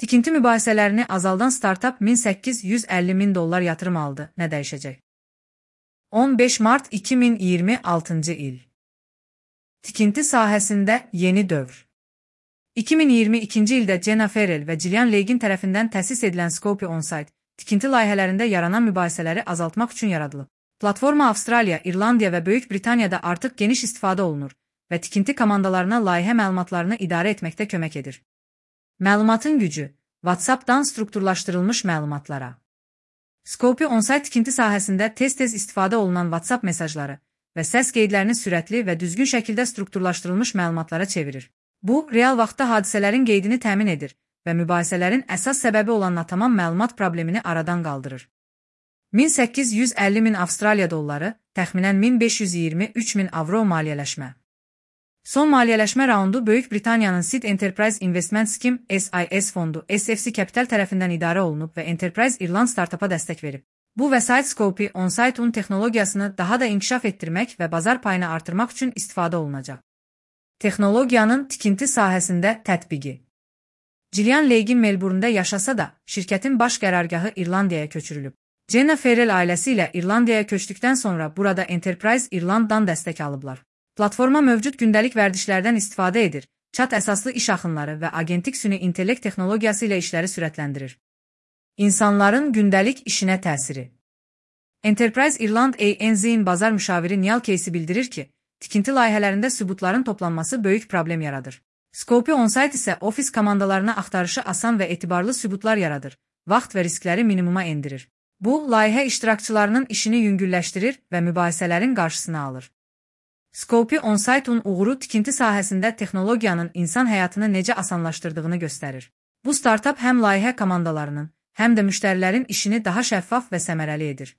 Tikinti mübahisələrini azaldan startap $1850.000 yatırım aldı. Nə dəyişəcək? 15 mart 2026 il. Tikinti sahəsində yeni dövr. 2022 ildə Jenna Ferrell və Gillian Leygin tərəfindən təsis edilən Scopy On-Site, tikinti layihələrində yaranan mübahisələri azaltmaq üçün yaradılıb. Platforma Avstraliya, İrlandiya və Böyük Britaniyada artıq geniş istifadə olunur və tikinti komandalarına layihə məlumatlarını idarə etməkdə kömək edir. Məlumatın gücü, WhatsApp-dan strukturlaşdırılmış məlumatlara. Scopy On-Site tikinti sahəsində tez-tez istifadə olunan WhatsApp mesajları və səs qeydlərini sürətli və düzgün şəkildə strukturlaşdırılmış məlumatlara çevirir. Bu, real vaxtda hadisələrin qeydini təmin edir və mübahisələrin əsas səbəbi olan natamam məlumat problemini aradan qaldırır. 1850.000 Avstraliya dolları, təxminən 1523.000 avro maliyyələşmə. Son maliyyələşmə raundu Böyük Britaniyanın Seed Enterprise Investment Scheme (SIS) fondu SFC Capital tərəfindən idarə olunub və Enterprise İrland startapa dəstək verib. Bu vəsait Scopy On-Site texnologiyasını daha da inkişaf etdirmək və bazar payını artırmaq üçün istifadə olunacaq. Texnologiyanın tikinti sahəsində tətbiqi. Gillian Leygin Melbourne'da yaşasa da, şirkətin baş qərargahı İrlandiyaya köçürülüb. Jenna Ferrell ailəsi ilə İrlandiyaya köçdükdən sonra burada Enterprise İrlanddan dəstək alıblar. Platforma mövcud gündəlik vərdişlərdən istifadə edir, chat əsaslı iş axınları və agentik süni intellekt texnologiyası ilə işləri sürətləndirir. İnsanların gündəlik işinə təsiri. Enterprise İrland ANZ-in bazar müşaviri Neil Casey bildirir ki, tikinti layihələrində sübutların toplanması böyük problem yaradır. Scopy On-Site isə ofis komandalarına axtarışı asan və etibarlı sübutlar yaradır, vaxt və riskləri minimuma endirir. Bu, layihə iştirakçılarının işini yüngülləşdirir və mübahisələrin qarşısını alır. Scopy On-Site-un uğuru tikinti sahəsində texnologiyanın insan həyatını necə asanlaşdırdığını göstərir. Bu startap həm layihə komandalarının, həm də müştərilərin işini daha şəffaf və səmərəli edir.